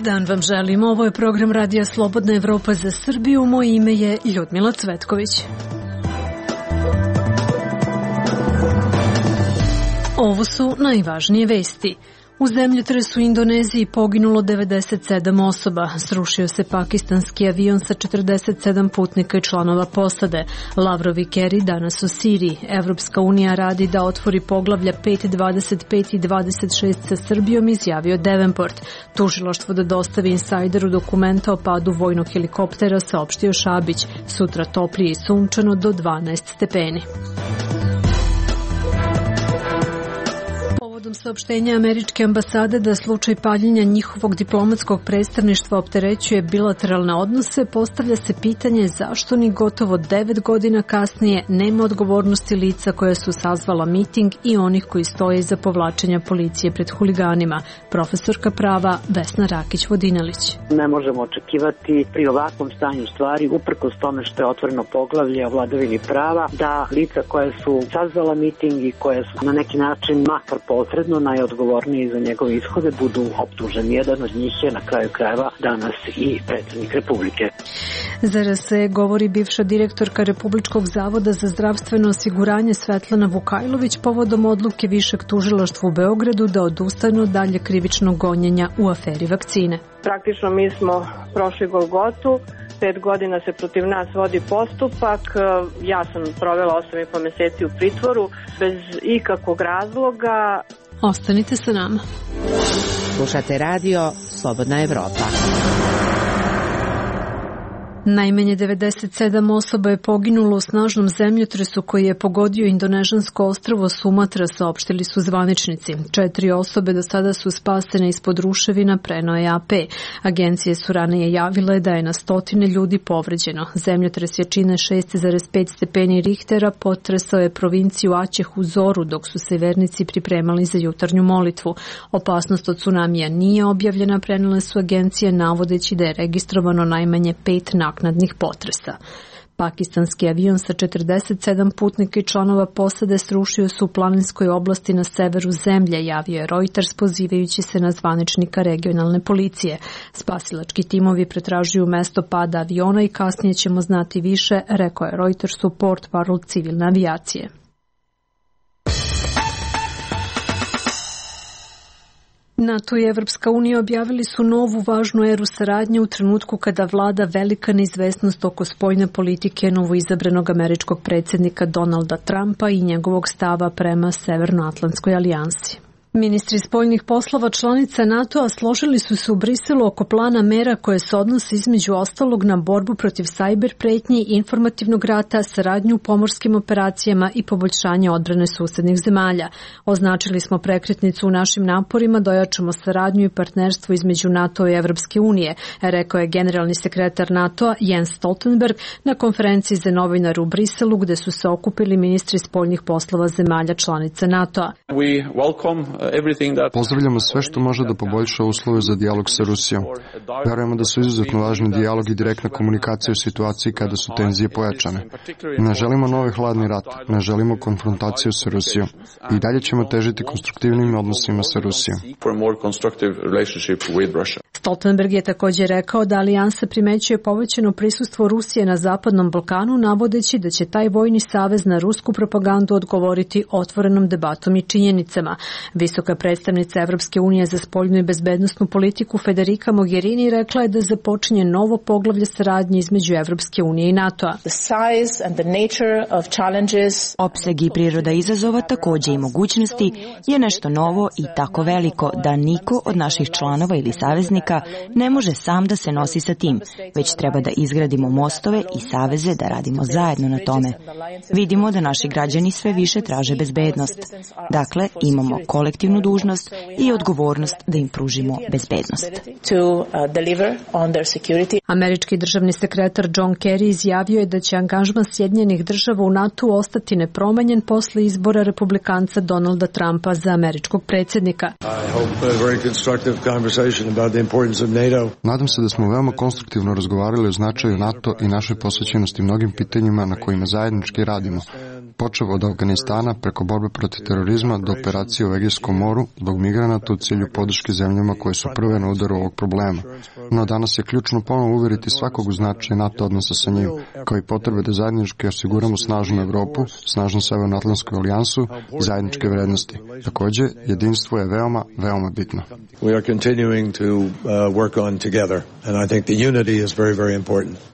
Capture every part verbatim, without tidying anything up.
Dan vam želim. Ovo je program Radija Slobodna Evropa za Srbiju. Moje ime je Ljudmila Cvetković. Ovo su najvažnije vesti. U zemljotresu u Indoneziji poginulo devedeset sedam osoba. Srušio se pakistanski avion sa četrdeset sedam putnika i članova posade. Lavrov i Kerry danas u Siriji. Evropska unija radi da otvori poglavlja pet, dvadeset pet i dvadeset šest sa Srbijom, izjavio Davenport. Tužilaštvo da dostavi insajderu dokumenta o padu vojnog helikoptera, saopštio Šabić. Sutra toplije i sunčano do dvanaest stepeni. Saopštenja američke ambasade da slučaj paljenja njihovog diplomatskog predstavništva opterećuje bilateralne odnose, postavlja se pitanje zašto ni gotovo devet godina kasnije nema odgovornosti lica koja su sazvala miting i onih koji stoje iza povlačenja policije pred huliganima. Profesorka prava Vesna Rakić-Vodinelić. Ne možemo očekivati pri ovakvom stanju stvari, uprkos tome što je otvoreno poglavlje o vladavini prava, da lica koje su sazvala miting i koje su na neki način makar posredno najodgovorniji za njegove ishode budu optuženi. Jedan od njih je na kraju krajeva danas i predsjednik Republike. Zar se govori bivša direktorka Republičkog zavoda za zdravstveno osiguranje Svetlana Vukajlović povodom odluke Višeg tužilaštva u Beogradu da odustanu od dalje krivičnog gonjenja u aferi vakcine. Praktično mi smo prošli Golgotu. Pet godina se protiv nas vodi postupak. Ja sam provela osam i po meseci u pritvoru bez ikakvog razloga. Ostanite sa nama. Slušate radio Slobodna Evropa. Najmanje devedeset sedam osoba je poginulo u snažnom zemljotresu koji je pogodio indonežansko ostrvo Sumatra, saopštili su zvaničnici. Četiri osobe do sada su spasene ispod ruševina, preneo je A P. Agencije su ranije javile da je na stotine ljudi povređeno. Zemljotres jačine šest zarez pet stepeni Richtera potresao je provinciju Aceh u zoru dok su se vernici pripremali za jutarnju molitvu. Opasnost od tsunamija nije objavljena, prenele su agencije navodeći da je registrovano najmanje pet naknadnih potresa. Pakistanski avion sa četrdeset sedam putnika i članova posade srušio se u planinskoj oblasti na severu zemlje, javio je Reuters pozivajući se na zvaničnika regionalne policije. Spasilački timovi pretražuju mesto pada aviona i kasnije ćemo znati više, rekao je Reutersu portparol civilne avijacije. NATO i Evropska unija objavili su novu važnu eru saradnje u trenutku kada vlada velika neizvesnost oko spoljne politike novoizabranog američkog predsjednika Donalda Trumpa i njegovog stava prema Severnoatlantskoj alijansi. Ministri spoljnih poslova članica NATO-a složili su se u Briselu oko plana mera koje se odnose između ostalog na borbu protiv sajber pretnji, informativnog rata, saradnju u pomorskim operacijama i poboljšanje odbrane susednih zemalja. Označili smo prekretnicu u našim naporima da ojačamo saradnju i partnerstvo između NATO i Evropske unije, rekao je generalni sekretar NATO-a Jens Stoltenberg na konferenciji za novinare u Briselu gde su se okupili ministri spoljnih poslova zemalja članica NATO-a. We welcome Pozdravljamo sve što može da poboljša uslove za dijalog sa Rusijom. Verujemo da su izuzetno važni dijalog i direktna komunikacija u situaciji kada su tenzije pojačane. Ne želimo novi hladni rat, ne želimo konfrontaciju sa Rusijom. I dalje ćemo težiti konstruktivnim odnosima sa Rusijom. Stoltenberg je također rekao da alijansa primećuje povećano prisustvo Rusije na Zapadnom Balkanu, navodeći da će taj vojni savez na rusku propagandu odgovoriti otvorenom debatom i činjenicama. Visoka predstavnica Evropske unije za spoljnu i bezbednosnu politiku Federica Mogherini rekla je da započinje novo poglavlje saradnje između Evropske unije i NATO-a. Opseg i priroda izazova, također i mogućnosti, je nešto novo i tako veliko da niko od naših članova ili saveznika ne može sam da se nosi sa tim, već treba da izgradimo mostove i saveze da radimo zajedno na tome. Vidimo da naši građani sve više traže bezbednost. Dakle, imamo kolektivnu dužnost i odgovornost da im pružimo bezbednost. Američki državni sekretar John Kerry izjavio je da će angažman Sjedinjenih država u NATO ostati nepromenjen posle izbora republikanca Donalda Trumpa za američkog predsjednika. Nadam se da smo veoma konstruktivno razgovarali o značaju NATO i našoj posvećenosti mnogim pitanjima na kojima zajednički radimo, počev od Afganistana preko borbe protiv terorizma do operacije u Egejskom moru zbog migranata u cilju podrške zemljama koje su prve na udaru ovog problema. No danas je ključno ponovo uveriti svakog u značaj NATO odnosa sa njim, kao i potrebe da zajednički osiguramo snažnu Evropu, snažnu Severnoatlantsku alijansu i zajedničke vrednosti. Takođe, jedinstvo je veoma, veoma bitno.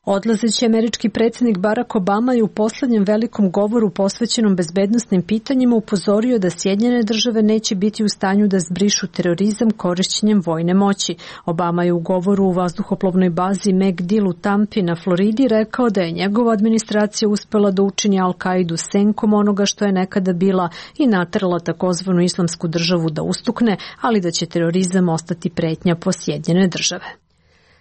Odlazeći američki predsjednik Barack Obama je u poslednjem velikom govoru posvećenom bezbednosnim pitanjima upozorio da Sjedinjene države neće biti u stanju da zbrišu terorizam korišćenjem vojne moći. Obama je u govoru u vazduhoplovnoj bazi MacDill u Tampi na Floridi rekao da je njegova administracija uspela da učini Al-Kaidu senkom onoga što je nekada bila i naterala takozvanu islamsku državu da ustukne, ali da će terorizam ostati pretnja po Sjedinjene države.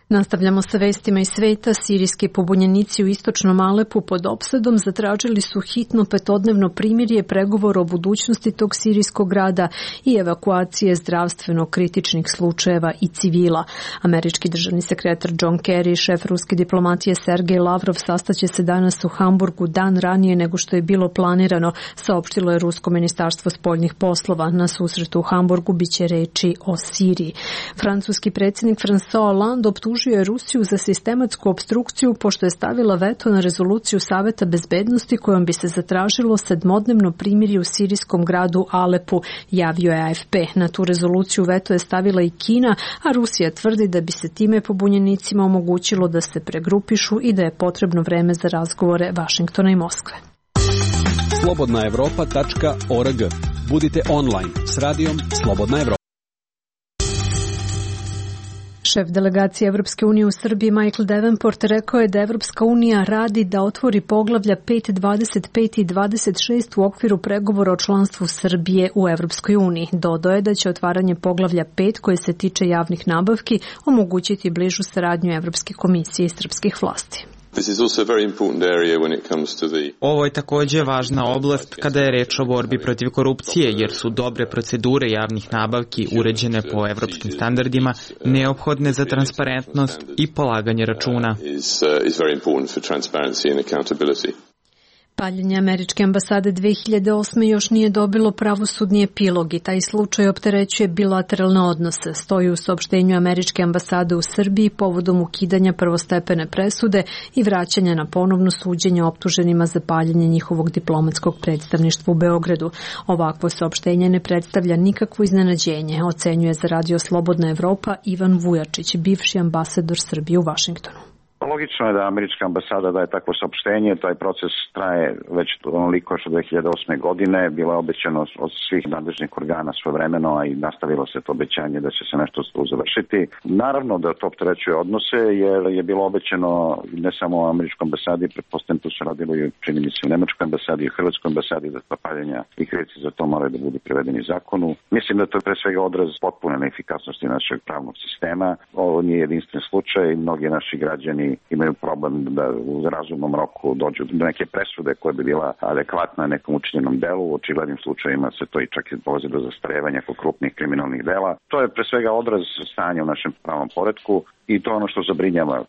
Nastavljamo sa vestima iz sveta. Sirijski pobunjenici u istočnom Alepu pod opsadom zatražili su hitno petodnevno primirje, pregovor o budućnosti tog sirijskog grada i evakuacije zdravstveno kritičnih slučajeva i civila. Američki državni sekretar John Kerry i šef ruske diplomatije Sergej Lavrov sastaće se danas u Hamburgu dan ranije nego što je bilo planirano, saopštilo je Rusko ministarstvo spoljnih poslova. Na susretu u Hamburgu biće reči o Siriji. Francuski predsjednik François Hollande optužio je Rusiju za sistematsku opstrukciju pošto je stavila veto na rezoluciju Saveta bezbednosti kojom bi se zatražilo sedmodnevno primirje u sirijskom gradu Alepu, javio je A F P. Na tu rezoluciju veto je stavila i Kina, a Rusija tvrdi da bi se time pobunjenicima omogućilo da se pregrupišu i da je potrebno vreme za razgovore Vašingtona i Moskve. slobodna evropa tačka org. Budite online s radijom Slobodna Evropa. Šef delegacije Evropske unije u Srbiji Michael Davenport rekao je da Evropska unija radi da otvori poglavlja pet, dvadeset pet i dvadeset šest u okviru pregovora o članstvu Srbije u Evropskoj uniji. Dodao je da će otvaranje poglavlja pet koje se tiče javnih nabavki omogućiti bližu saradnju Evropske komisije i srpskih vlasti. Ovo je takođe važna oblast kada je reč o borbi protiv korupcije, jer su dobre procedure javnih nabavki uređene po evropskim standardima neophodne za transparentnost i polaganje računa. Paljenje američke ambasade dve hiljade osme još nije dobilo pravosudni epilog i taj slučaj opterećuje bilateralne odnose, stoji u saopštenju američke ambasade u Srbiji povodom ukidanja prvostepene presude i vraćanja na ponovno suđenje optuženima za paljenje njihovog diplomatskog predstavništva u Beogradu. Ovakvo saopštenje ne predstavlja nikakvo iznenađenje, ocenjuje za Radio Slobodna Evropa Ivan Vujačić, bivši ambasador Srbije u Vašingtonu. Logično je da američka ambasada daje takvo saopštenje, taj proces traje već onoliko što dve hiljade osme. godine, bilo je obećano od svih nadležnih organa svojevremeno, a i nastavilo se to obećanje da će se nešto tu završiti. Naravno da to opterećuje odnose, jer je bilo obećano ne samo u američkoj ambasadi, pretpostavljam tu se radilo i čini mi se u nemačkoj ambasadi i u hrvatskoj ambasadi, da zapaljenja i krivci za to moraju da budu privedeni zakonu. Mislim da to je pre svega odraz potpune neefikasnosti našeg pravnog sistema. Ovo nije jedinstven slučaj, mnogi naši građani imaju problem da u razumnom roku dođu do neke presude koja bi bila adekvatna nekom učinjenom delu. U očiglednim slučajima se to i čak i dolazi do zastarevanja kod krupnih kriminalnih dela. To je pre svega odraz stanja u našem pravnom poretku i to je ono što zabrinjava.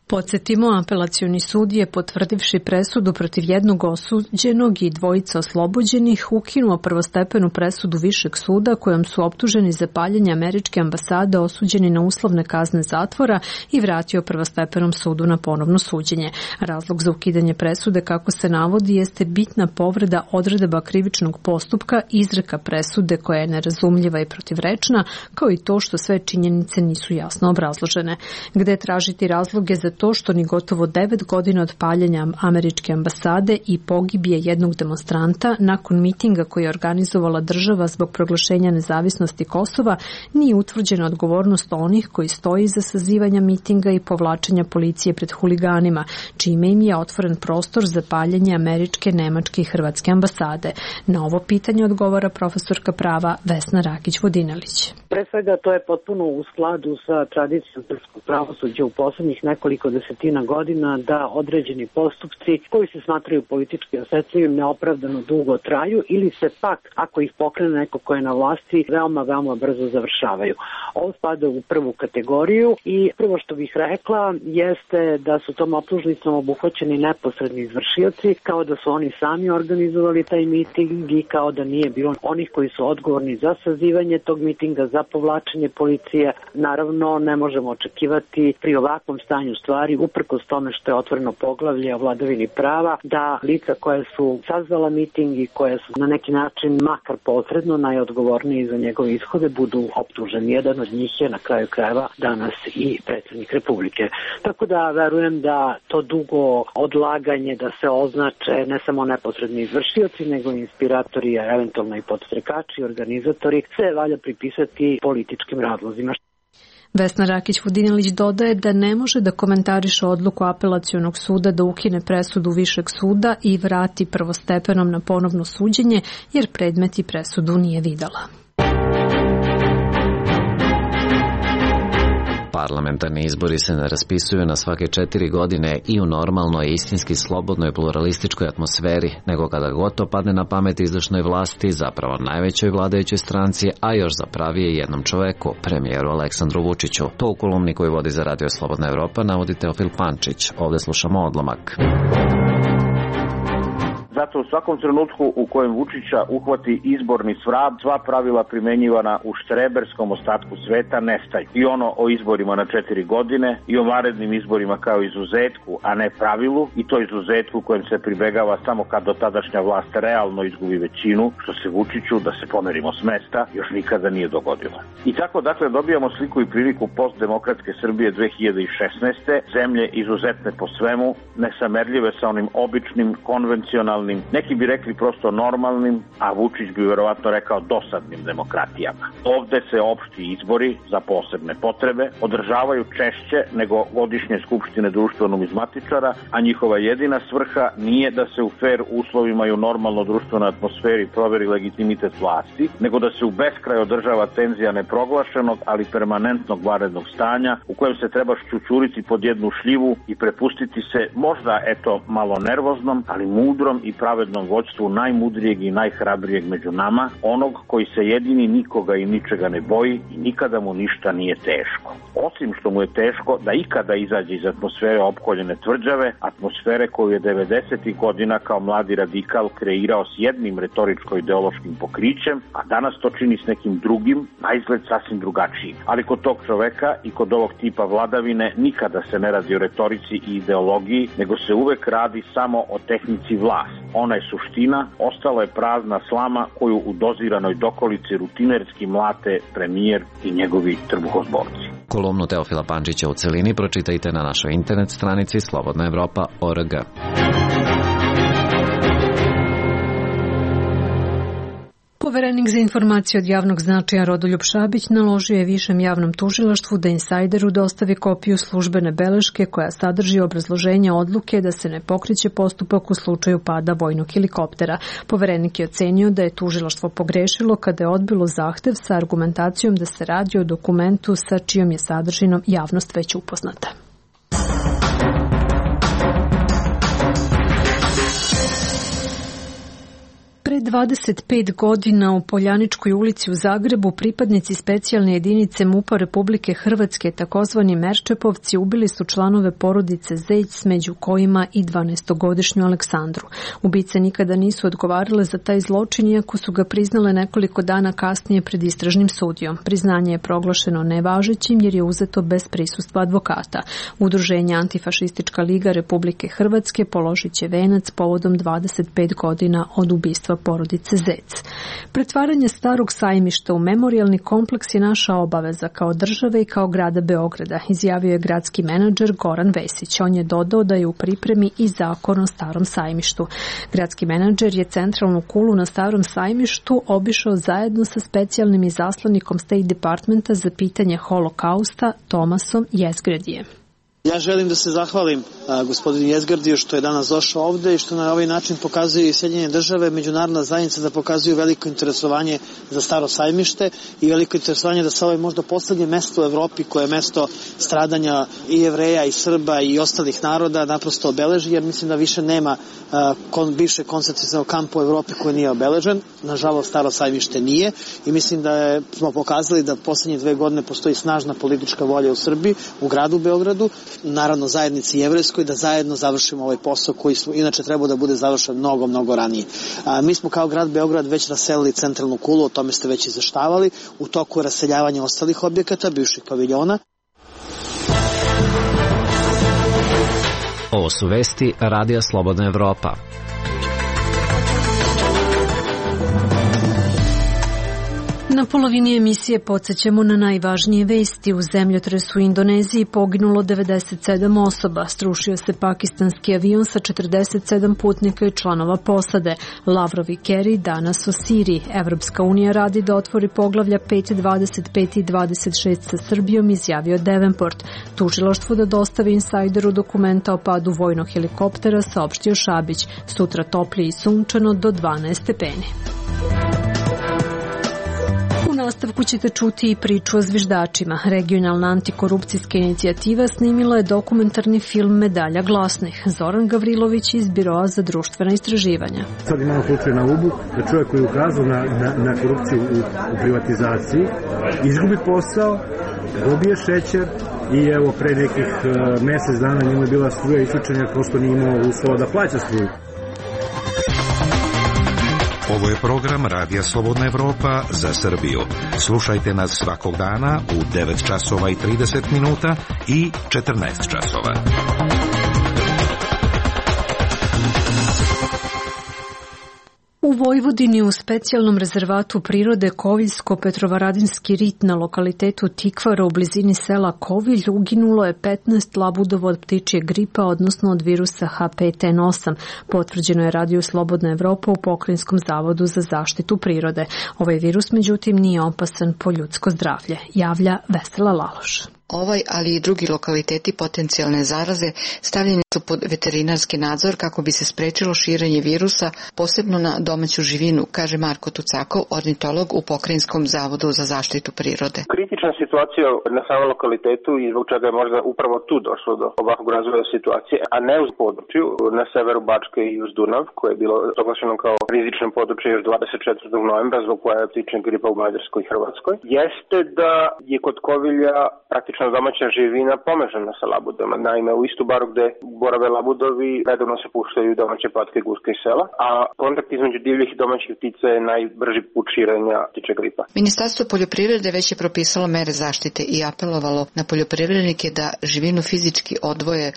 Podsjetimo, apelacioni sud je, potvrdivši presudu protiv jednog osuđenog i dvojica oslobođenih, ukinuo prvostepenu presudu Višeg suda kojom su optuženi za paljenje američke ambasade osuđeni na uslovne kazne zatvora i vratio prvostepenom sudu na ponovno suđenje. Razlog za ukidanje presude, kako se navodi, jeste bitna povreda odredaba krivičnog postupka, izreka presude koja je nerazumljiva i protivrečna, kao i to što sve činjenice nisu jasno obrazložene. Gde tražiti razloge za to što ni gotovo devet godina od paljenja američke ambasade i pogibije jednog demonstranta nakon mitinga koji je organizovala država zbog proglašenja nezavisnosti Kosova nije utvrđena odgovornost onih koji stoji iza sazivanja mitinga i povlačenja policije pred huliganima, čime im je otvoren prostor za paljenje američke, nemačke i hrvatske ambasade. Na ovo pitanje odgovara profesorka prava Vesna Rakić-Vodinelić. Pre svega to je potpuno u skladu sa tradicijom srpskog pravosuđa u poslednjih nekoliko nekoliko desetina godina da određeni postupci koji se smatraju politički osetljivim neopravdano dugo traju ili se pak, ako ih pokrene neko ko je na vlasti, veoma, veoma brzo završavaju. Ovo spada u prvu kategoriju i prvo što bih rekla jeste da su tom optužnicom obuhvaćeni neposredni izvršioci, kao da su oni sami organizovali taj miting i kao da nije bilo onih koji su odgovorni za sazivanje tog mitinga, za povlačenje policije. Naravno, ne možemo očekivati pri ovakvom stanju stvari, uprkos tome što je otvoreno poglavlje o vladavini prava, da lica koja su sazvala miting i koja su na neki način makar posredno najodgovorniji za njegove ishode budu optuženi. Jedan od njih je na kraju krajeva danas i predsjednik Republike. Tako da verujem da to dugo odlaganje da se označe ne samo neposredni izvršioci, nego i inspiratori, eventualno i podstrekači, organizatori, se valja pripisati političkim razlozima. Vesna Rakić-Vodinelić dodaje da ne može da komentariše odluku apelacionog suda da ukine presudu višeg suda i vrati prvostepenom na ponovno suđenje, jer predmet i presudu nije videla. Parlamentarni izbori se ne raspisuju na svake četiri godine i u normalnoj, istinski slobodnoj pluralističkoj atmosferi, nego kada god to padne na pamet izvršnoj vlasti, zapravo najvećoj vladajućoj stranci, a još zapravije jednom čoveku, premijeru Aleksandru Vučiću. To u kolumni koju vodi za Radio Slobodna Evropa navodi Teofil Pančić. Ovde slušamo odlomak. Zato u svakom trenutku u kojem Vučića uhvati izborni svrab, sva pravila primenjivana u štreberskom ostatku sveta nestaju. I ono o izborima na četiri godine i o vanrednim izborima kao izuzetku, a ne pravilu, i to izuzetku kojem se pribegava samo kad do tadašnja vlast realno izgubi većinu, što se Vučiću, da se pomerimo s mesta, još nikada nije dogodilo. I tako dakle dobijamo sliku i priliku postdemokratske Srbije dve hiljade šesnaeste. Zemlje izuzetne po svemu, nesamerljive sa onim običnim, konvencionalnim, neki bi rekli prosto normalnim, a Vučić bi verovatno rekao dosadnim demokratijama. Ovde se opšti izbori za posebne potrebe održavaju češće nego godišnje skupštine društveno-numizmatičara, a njihova jedina svrha nije da se u fer uslovima i u normalno društvenoj atmosferi proveri legitimitet vlasti, nego da se u beskraj održava tenzija neproglašenog, ali permanentnog vanrednog stanja u kojem se treba šćućuriti pod jednu šljivu i prepustiti se možda eto malo nervoznom, ali mudrom i pravednom vođstvu najmudrijeg i najhrabrijeg među nama, onog koji se jedini nikoga i ničega ne boji i nikada mu ništa nije teško. Osim što mu je teško da ikada izađe iz atmosfere opkoljene tvrđave, atmosfere koju je devedesetih godina kao mladi radikal kreirao s jednim retoričko-ideološkim pokrićem, a danas to čini s nekim drugim, na izgled sasvim drugačijim. Ali kod tog čoveka i kod ovog tipa vladavine nikada se ne radi o retorici i ideologiji, nego se uvek radi samo o tehnici vlasti. Ona je suština, ostala je prazna slama koju u doziranoj dokolici rutinerski mlate premijer i njegovi trbuhozborci. Kolumnu Teofila Pančića u celini pročitajte na našoj internet stranici slobodna evropa tačka org. Poverenik za informacije od javnog značaja Rodoljub Šabić naložio je Višem javnom tužilaštvu da Insajderu dostavi kopiju službene beleške koja sadrži obrazloženje odluke da se ne pokreće postupak u slučaju pada vojnog helikoptera. Poverenik je ocenio da je tužilaštvo pogrešilo kada je odbilo zahtev sa argumentacijom da se radi o dokumentu sa čijom je sadržinom javnost već upoznata. Pre dvadeset pet godina u Poljaničkoj ulici u Zagrebu pripadnici specijalne jedinice MUP-a Republike Hrvatske, takozvani Merčepovci, ubili su članove porodice Zejc, među kojima i dvanaestogodišnju Aleksandru. Ubice nikada nisu odgovarale za taj zločin, iako su ga priznale nekoliko dana kasnije pred istražnim sudijom. Priznanje je proglašeno nevažećim jer je uzeto bez prisustva advokata. Udruženje Antifašistička liga Republike Hrvatske položit će venac povodom dvadeset pet godina od ubistva porodice Zec. Pretvaranje starog sajmišta u memorijalni kompleks je naša obaveza kao države i kao grada Beograda, izjavio je gradski menadžer Goran Vesić. On je dodao da je u pripremi i zakon o starom sajmištu. Gradski menadžer je centralnu kulu na starom sajmištu obišao zajedno sa specijalnim izaslanikom State Departmenta za pitanje holokausta Tomasom Jezgredijem. Ja želim da se zahvalim gospodinu Jezgardiju što je danas došao ovde i što na ovaj način pokazuju i Sjedinjene države, međunarodna zajednica da pokazuju veliko interesovanje za Staro sajmište i veliko interesovanje da se ovo je možda poslednje mesto u Evropi koje je mesto stradanja i Jevreja i Srba i ostalih naroda naprosto obeleži, jer mislim da više nema kon, bivše koncentracionog kampa u Evropi koji nije obeležen. Nažalost, Staro sajmište nije i mislim da je, smo pokazali da poslednje dve godine postoji snažna politička volja u Srbiji, u gradu Beogradu, naravno zajednici jevrejskoj, da zajedno završimo ovaj posao koji smo, inače trebao da bude završen mnogo, mnogo ranije. A, mi smo kao grad Beograd već raselili centralnu kulu, o tome ste već izveštavali, u toku raseljavanja ostalih objekata, bivših paviljona. Ovo su vesti Radija Slobodna Evropa. Na polovini emisije podsjećamo na najvažnije vesti. U zemljotresu u Indoneziji poginulo devedeset sedam osoba. Srušio se pakistanski avion sa četrdeset sedam putnika i članova posade. Lavrov i Kerry danas o Siriji. Evropska unija radi da otvori poglavlja pet, dvadeset pet i dvadeset šest sa Srbijom, izjavio Davenport. Tužilaštvo da dostavi insajderu dokumenta o padu vojnog helikoptera, saopštio Šabić. Sutra toplije i sunčano do dvanaest stepeni. U nastavku ćete čuti i priču o zviždačima. Regionalna antikorupcijska inicijativa snimila je dokumentarni film Medalja glasnih. Zoran Gavrilović iz Biroa za društvena istraživanja. Sad imamo slučaj na Ubu da čovjek koji je ukazao na, na, na korupciju u, u privatizaciji izgubi posao, dobije šećer i evo pre nekih uh, mesec dana njemu je bila struja isključena prosto nije imao uslova da plaća struju. Ovo je program Radija Slobodna Evropa za Srbiju. Slušajte nas svakog dana u devet časova i trideset minuta i četrnaest časova. U Vojvodini u specijalnom rezervatu prirode Koviljsko-Petrovaradinski rit na lokalitetu Tikvara u blizini sela Kovilj uginulo je petnaest labudova od ptičje gripa, odnosno od virusa H pet N osam. Potvrđeno je Radio Slobodna Evropa u Pokrajinskom zavodu za zaštitu prirode. Ovaj virus, međutim, nije opasan po ljudsko zdravlje, javlja Vesela Laloš. Ovaj, ali i drugi lokaliteti potencijalne zaraze stavljeni su pod veterinarski nadzor kako bi se sprečilo širenje virusa, posebno na domaću živinu, kaže Marko Tucakov, ornitolog u Pokrajinskom zavodu za zaštitu prirode. Kritična situacija na samom lokalitetu i zbog čega je možda upravo tu došlo do ovakvog razvoja situacije, a ne uz području na severu Bačke i uz Dunav, koje je bilo proglašeno kao rizično područje još dvadeset četvrtog novembra zbog pojave ptičje gripa u Mađarskoj i Hrvatskoj, jeste da je kod Kovilja praktično domaća živina pomežana sa labudama. Naime, u istu baru gde borave labudovi redovno se puštaju domaće patke, guske i sela, a kontakt između divljih i domaćih ptica je najbrži put širenja ptičje gripa. Ministarstvo poljoprivrede već je propisalo mere zaštite i apelovalo na poljoprivrednike da živinu fizički odvoje,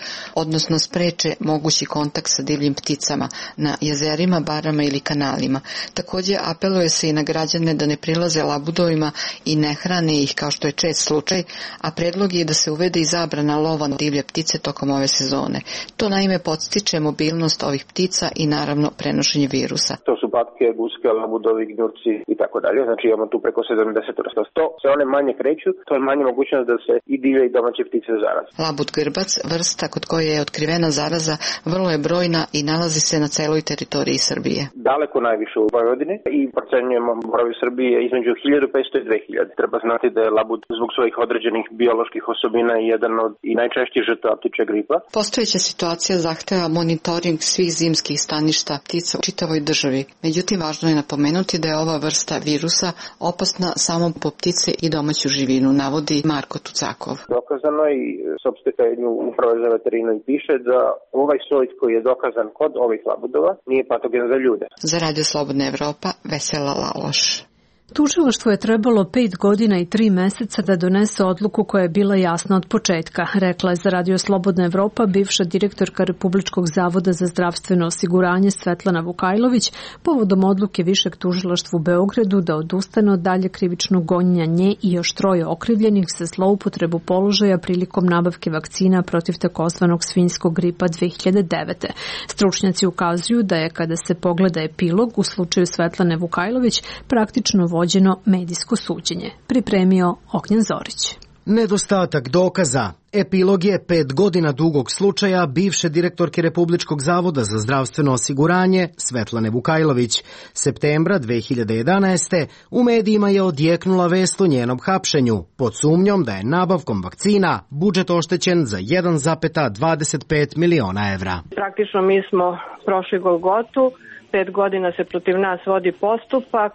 odnosno spreče mogući kontakt sa divljim pticama na jezerima, barama ili kanalima. Takođe apeluje se i na građane da ne prilaze labudovima i ne hrane ih kao što je čest slučaj, a predlog je da se uvede i zabrana lova na divlje ptice tokom ove sezone. To naime podstiče mobilnost ovih ptica i naravno prenošenje virusa. To su patke, guske, labudovi, gnjurci i tako dalje. Znači imamo tu preko sedamdeset vrsta. To se one manje kreću, to je manje mogućnost da se i divlje i domaće ptice zaraze. Labud grbac, vrsta kod koje je otkrivena zaraza, vrlo je brojna i nalazi se na celoj teritoriji Srbije. Daleko najviše u Vojvodini i procenjujemo broj Srbije između hiljadu petsto i dve hiljade. Treba znati da je labud zbog svojih određenih bioloških osobina je jedan od i najčešćih žrtava ptičje gripa. Postojeća situacija zahteva monitoring svih zimskih staništa ptica u čitavoj državi. Međutim, važno je napomenuti da je ova vrsta virusa opasna samo po ptice i domaću živinu, navodi Marko Tucakov. Dokazano i sopstvetanju uprave za veterinu i piše da ovaj soj koji je dokazan kod ovih labudova nije patogen za ljude. Za Radio Slobodna Evropa, Vesela Laloš. Tužilaštvo je trebalo pet godina i tri meseca da donese odluku koja je bila jasna od početka, rekla je za Radio Slobodna Evropa bivša direktorka Republičkog zavoda za zdravstveno osiguranje Svetlana Vukajlović povodom odluke Višeg tužilaštva u Beogradu da odustane od dalje krivičnog gonjenja nje i još troje okrivljenih za zloupotrebu položaja prilikom nabavke vakcina protiv takozvanog svinjskog gripa dve hiljade devete. Stručnjaci ukazuju da je kada se pogleda epilog u slučaju Svetlane Vukajlović praktično vođeno medijsko suđenje. Pripremio Ognjen Zorić. Nedostatak dokaza. Epilog je pet godina dugog slučaja bivše direktorke Republičkog zavoda za zdravstveno osiguranje Svetlane Vukajlović. Septembra dve hiljade jedanaeste. u medijima je odjeknula vest o njenom hapšenju pod sumnjom da je nabavkom vakcina budžet oštećen za jedan zarez dvadeset pet miliona evra. Praktično mi smo prošli Golgotu. Pet godina se protiv nas vodi postupak.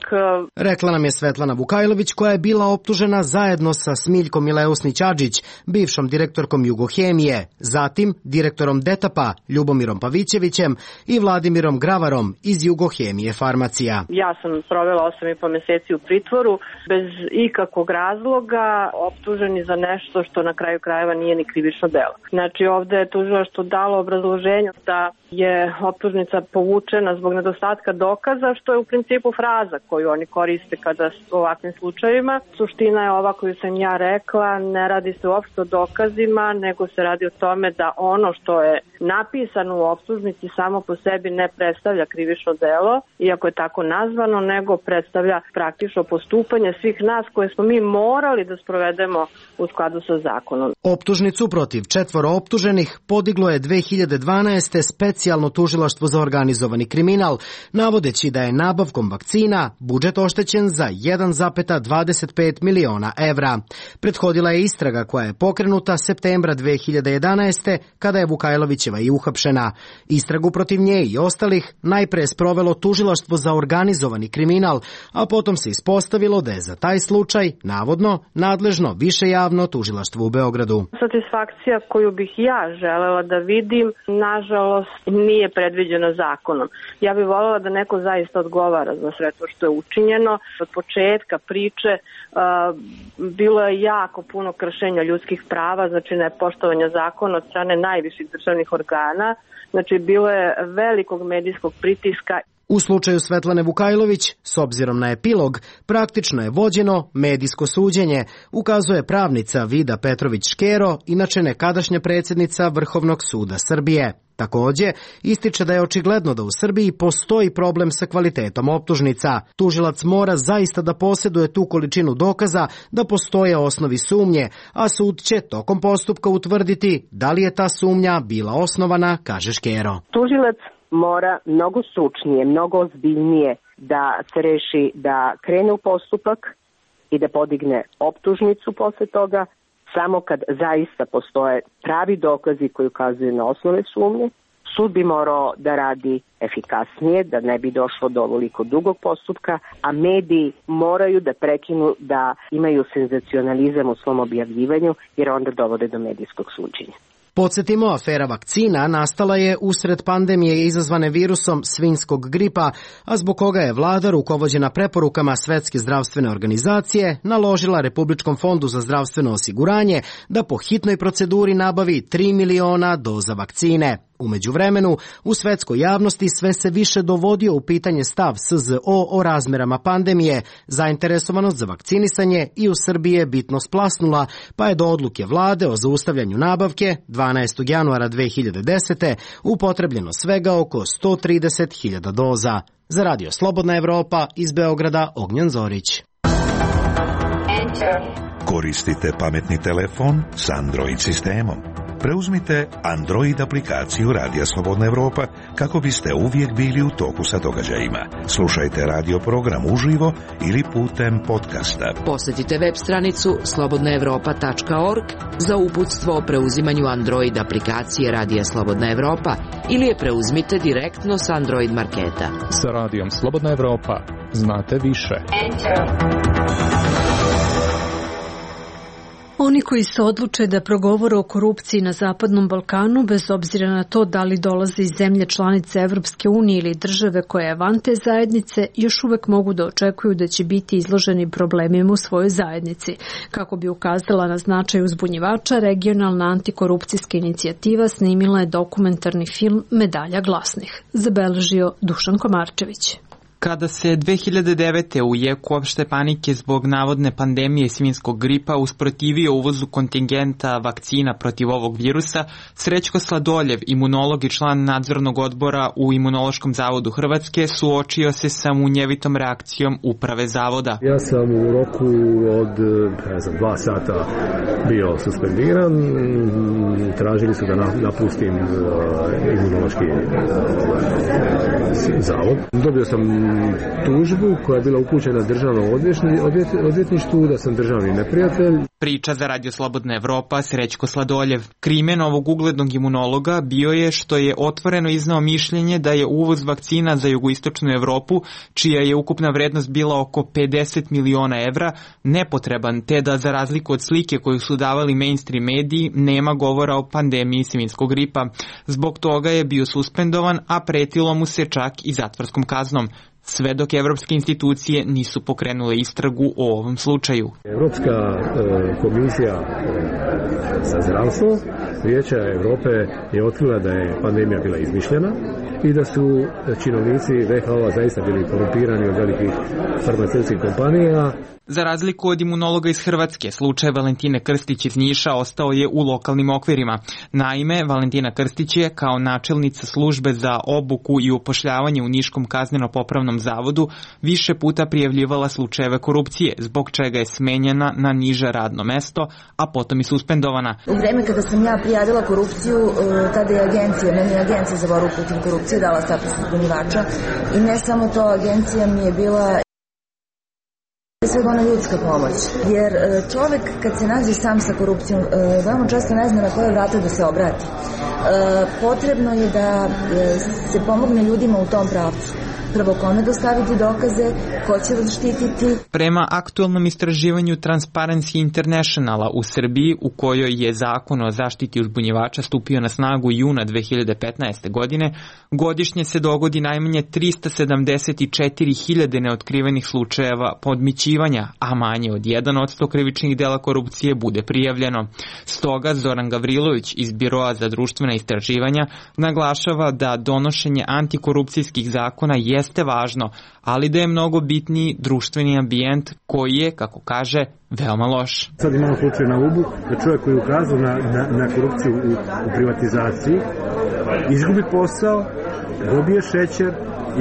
Rekla nam je Svetlana Vukajlović, koja je bila optužena zajedno sa Smiljkom Mileusnić-Adžić, bivšom direktorkom Jugohemije, zatim direktorom Detapa Ljubomirom Pavićevićem i Vladimirom Gravarom iz Jugohemije Farmacija. Ja sam provela osam i po meseci u pritvoru bez ikakvog razloga, optuženi za nešto što na kraju krajeva nije ni krivično delo. Znači ovde je tužilaštvo dalo obrazloženje da je optužnica povučena zbog nedostatka dokaza, što je u principu fraza koju oni koriste kada u ovakvim slučajevima. Suština je ova koju sam ja rekla, ne radi se uopšte o dokazima, nego se radi o tome da ono što je napisano u optužnici samo po sebi ne predstavlja krivično delo, iako je tako nazvano, nego predstavlja praktično postupanje svih nas koje smo mi morali da sprovedemo u skladu sa zakonom. Optužnicu protiv četvoro optuženih podiglo je dve hiljade dvanaeste. specijalno tužilaštvo za organizovani kriminal, navodeći da je nabavkom vakcina budžet oštećen za jedan zarez dvadeset pet miliona evra. Prethodila je istraga koja je pokrenuta septembra dve hiljade jedanaeste. kada je Vukajlovićeva i uhapšena. Istragu protiv nje i ostalih najpre je sprovelo tužilaštvo za organizovani kriminal, a potom se ispostavilo da je za taj slučaj, navodno, nadležno više javno tužilaštvo u Beogradu. Satisfakcija koju bih ja želela da vidim, nažalost, nije predviđena zakonom. Ja bih voljela da neko zaista odgovara za sve to što je učinjeno. Od početka priče uh, bilo je jako puno kršenja ljudskih prava, znači nepoštovanja zakona od strane najviših državnih organa. Znači bilo je velikog medijskog pritiska. U slučaju Svetlane Vukajlović, s obzirom na epilog, praktično je vođeno medijsko suđenje, ukazuje pravnica Vida Petrović-Škero, inače nekadašnja predsjednica Vrhovnog suda Srbije. Takođe, ističe da je očigledno da u Srbiji postoji problem sa kvalitetom optužnica. Tužilac mora zaista da posjeduje tu količinu dokaza da postoje osnovi sumnje, a sud će tokom postupka utvrditi da li je ta sumnja bila osnovana, kaže Škero. Tužilac mora mnogo stručnije, mnogo ozbiljnije da se reši da krene u postupak i da podigne optužnicu posle toga, samo kad zaista postoje pravi dokazi koji ukazuju na osnove sumnje. Sud bi morao da radi efikasnije, da ne bi došlo do ovoliko dugog postupka, a mediji moraju da prekinu da imaju senzacionalizam u svom objavljivanju, jer onda dovode do medijskog suđenja. Podsjetimo, afera vakcina nastala je usred pandemije izazvane virusom svinjskog gripa, a zbog koga je vlada, rukovođena preporukama Svetske zdravstvene organizacije, naložila Republičkom fondu za zdravstveno osiguranje da po hitnoj proceduri nabavi tri miliona doza vakcine. U međuvremenu, u svetskoj javnosti sve se više dovodio u pitanje stav S Z O o razmerama pandemije, zainteresovanost za vakcinisanje i u Srbiji je bitno splasnula, pa je do odluke vlade o zaustavljanju nabavke dvanaestog januara dve hiljade desete. upotrebljeno svega oko sto trideset hiljada doza. Za Radio Slobodna Evropa iz Beograda, Ognjan Zorić. Koristite pametni telefon s Android sistemom. Preuzmite Android aplikaciju Radija Slobodna Evropa kako biste uvijek bili u toku sa događajima. Slušajte radio program uživo ili putem podcasta. Posjetite web stranicu slobodna evropa tačka org za uputstvo o preuzimanju Android aplikacije Radija Slobodna Evropa ili je preuzmite direktno s Android marketa. Sa Radijom Slobodna Evropa znate više. Oni koji se odluče da progovore o korupciji na Zapadnom Balkanu, bez obzira na to da li dolaze iz zemlje članice Evropske unije ili države koje je van te zajednice, još uvek mogu da očekuju da će biti izloženi problemima u svojoj zajednici. Kako bi ukazala na značaj uzbunjivača, regionalna antikorupcijska inicijativa snimila je dokumentarni film Medalja glasnih, zabeležio Dušan Komarčević. Kada se dve hiljade devete. u jeku opšte panike zbog navodne pandemije svinjskog gripa usprotivio uvozu kontingenta vakcina protiv ovog virusa, Srećko Sladoljev, imunolog i član nadzornog odbora u Imunološkom zavodu Hrvatske, suočio se sa munjevitom reakcijom uprave zavoda. Ja sam u roku od ne znam, dva sata bio suspendiran, tražili su da napustim Imunološki zavod. Dobio sam tužbu koja je bila upućena državnom odvjetništvu da sam državni neprijatelj. Priča za Radio Slobodna Evropa Srećko Sladoljev. Krimen ovog uglednog imunologa bio je što je otvoreno iznao mišljenje da je uvoz vakcina za jugoistočnu Evropu, čija je ukupna vrednost bila oko pedeset miliona evra, nepotreban, te da za razliku od slike koju su davali mainstream mediji, nema govora o pandemiji svinjskog gripa. Zbog toga je bio suspendovan, a pretilo mu se čak i zatvorskom kaznom. Sve dok evropske institucije nisu pokrenule istragu o ovom slučaju. Evropska e, komisija e, za zdravstvo Vijeća Evrope je otkrila da je pandemija bila izmišljena i da su činovnici ve ha o zaista bili korumpirani od velikih farmaceutskih kompanija. Za razliku od imunologa iz Hrvatske, slučaj Valentine Krstić iz Niša ostao je u lokalnim okvirima. Naime, Valentina Krstić je kao načelnica službe za obuku i upošljavanje u Niškom kazneno-popravnom zavodu više puta prijavljivala slučajeve korupcije, zbog čega je smenjena na niže radno mesto, a potom i suspendovana. U vreme kada sam ja prijavila korupciju, tada je agencija, meni je agencija za borbu protiv korupcije dala status uzbunjivača i ne samo to, agencija mi je bila svega ona ljudska pomoć, jer čovek kad se nađe sam sa korupcijom veoma često ne zna na koje vrata da se obrati. Potrebno je da se pomogne ljudima u tom pravcu. Prvo, kome dostaviti dokaze, ko će vas štititi. Prema aktualnom istraživanju Transparency Internationala u Srbiji, u kojoj je zakon o zaštiti uzbunjivača stupio na snagu juna dve hiljade petnaeste. godine, godišnje se dogodi najmanje trista sedamdeset četiri hiljade neotkrivenih slučajeva podmićivanja, a manje od jedan posto krivičnih dela korupcije bude prijavljeno. Stoga Zoran Gavrilović iz Biroa za društvena istraživanja naglašava da donošenje antikorupcijskih zakona jeste važno, ali da je mnogo bitniji društveni ambijent koji je, kako kaže, veoma loš. Sad imamo slučaj na Ubu da čovjek koji je ukazao na, na, na korupciju u, u privatizaciji izgubi posao, dobije šećer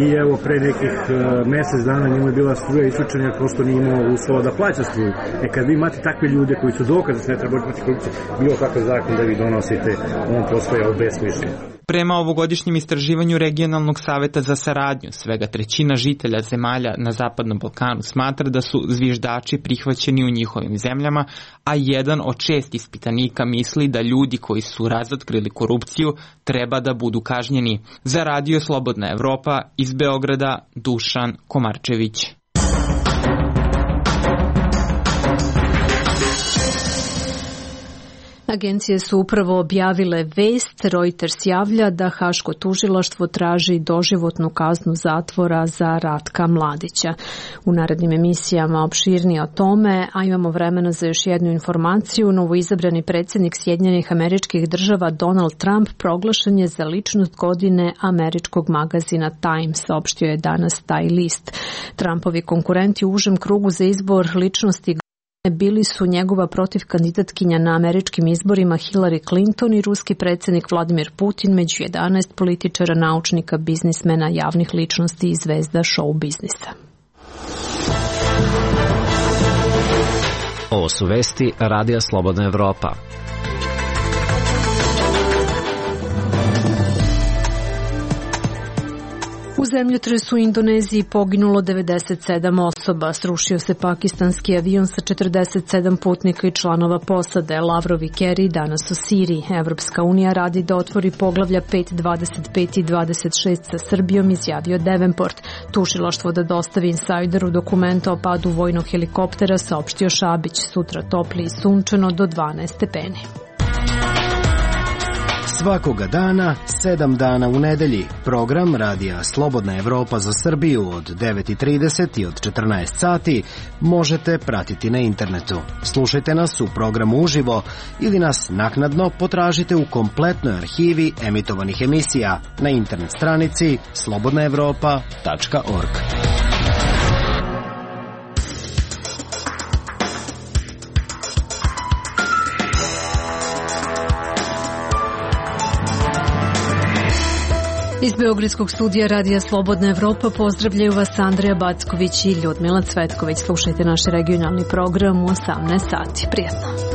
i evo pre nekih uh, mesec dana njemu je bila struja isključena jer prosto nije imao uslova da plaća struju. E kad vi imate takve ljude koji su dokaze da se ne treba boriti protiv korupcije, bilo kakav zakon da vi donosite, on postaje obesmišljen. Prema ovogodišnjem istraživanju Regionalnog saveta za saradnju, svega trećina žitelja zemalja na Zapadnom Balkanu smatra da su zviždači prihvaćeni u njihovim zemljama, a jedan od šest ispitanika misli da ljudi koji su razotkrili korupciju treba da budu kažnjeni. Za Radio Slobodna Evropa iz Beograda, Dušan Komarčević. Agencije su upravo objavile vest. Reuters javlja da Haško tužilaštvo traži doživotnu kaznu zatvora za Ratka Mladića. U narednim emisijama opširnije o tome, a imamo vremena za još jednu informaciju. Novoizabrani predsjednik Sjedinjenih Američkih Država Donald Trump proglašen je za ličnost godine američkog magazina Time, saopštio je danas taj list. Trumpovi konkurenti u užem krugu za izbor ličnosti bili su njegova protivkandidatkinja na američkim izborima Hillary Clinton i ruski predsjednik Vladimir Putin, među jedanaest političara, naučnika, biznismena, javnih ličnosti i zvezda show biznisa. Ovo su vesti Radija Slobodna Evropa. U zemljotresu u Indoneziji poginulo devedeset sedam osoba. Srušio se pakistanski avion sa četrdeset sedam putnika i članova posade. Lavrov i Kerry danas u Siriji. Evropska unija radi da otvori poglavlja pet, dvadeset pet i dvadeset šest sa Srbijom, izjavio Davenport. Tužilaštvo da dostavi insajderu dokumenta o padu vojnog helikoptera, saopštio Šabić. Sutra topli i sunčano do dvanaest stepeni. Svakoga dana, sedam dana u nedelji, program Radija Slobodna Evropa za Srbiju od devet i trideset i od četrnaest sati možete pratiti na internetu. Slušajte nas u programu uživo ili nas naknadno potražite u kompletnoj arhivi emitovanih emisija na internet stranici slobodna evropa tačka org. Iz Beogradskog studija Radija Slobodna Evropa pozdravljaju vas Andreja Backović i Ljudmila Cvetković. Slušajte naš regionalni program u osamnaest sati. Prijetno.